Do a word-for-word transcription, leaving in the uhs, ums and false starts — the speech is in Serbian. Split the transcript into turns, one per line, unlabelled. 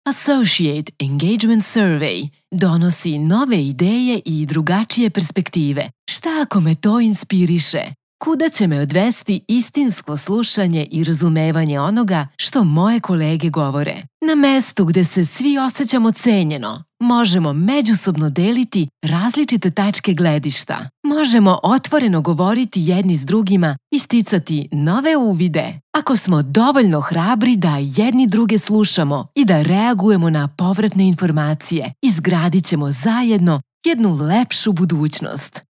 Associate Engagement Survey donosi nove ideje i drugačije perspektive. Šta ako me to inspiriše? Kuda će me odvesti istinsko slušanje i razumevanje onoga što moje kolege govore? Na mestu gde se svi osjećamo cenjeno, možemo međusobno deliti različite tačke gledišta. Možemo otvoreno govoriti jedni s drugima i sticati nove uvide. Ako smo dovoljno hrabri da jedni druge slušamo i da reagujemo na povratne informacije, izgradit ćemo zajedno jednu lepšu budućnost.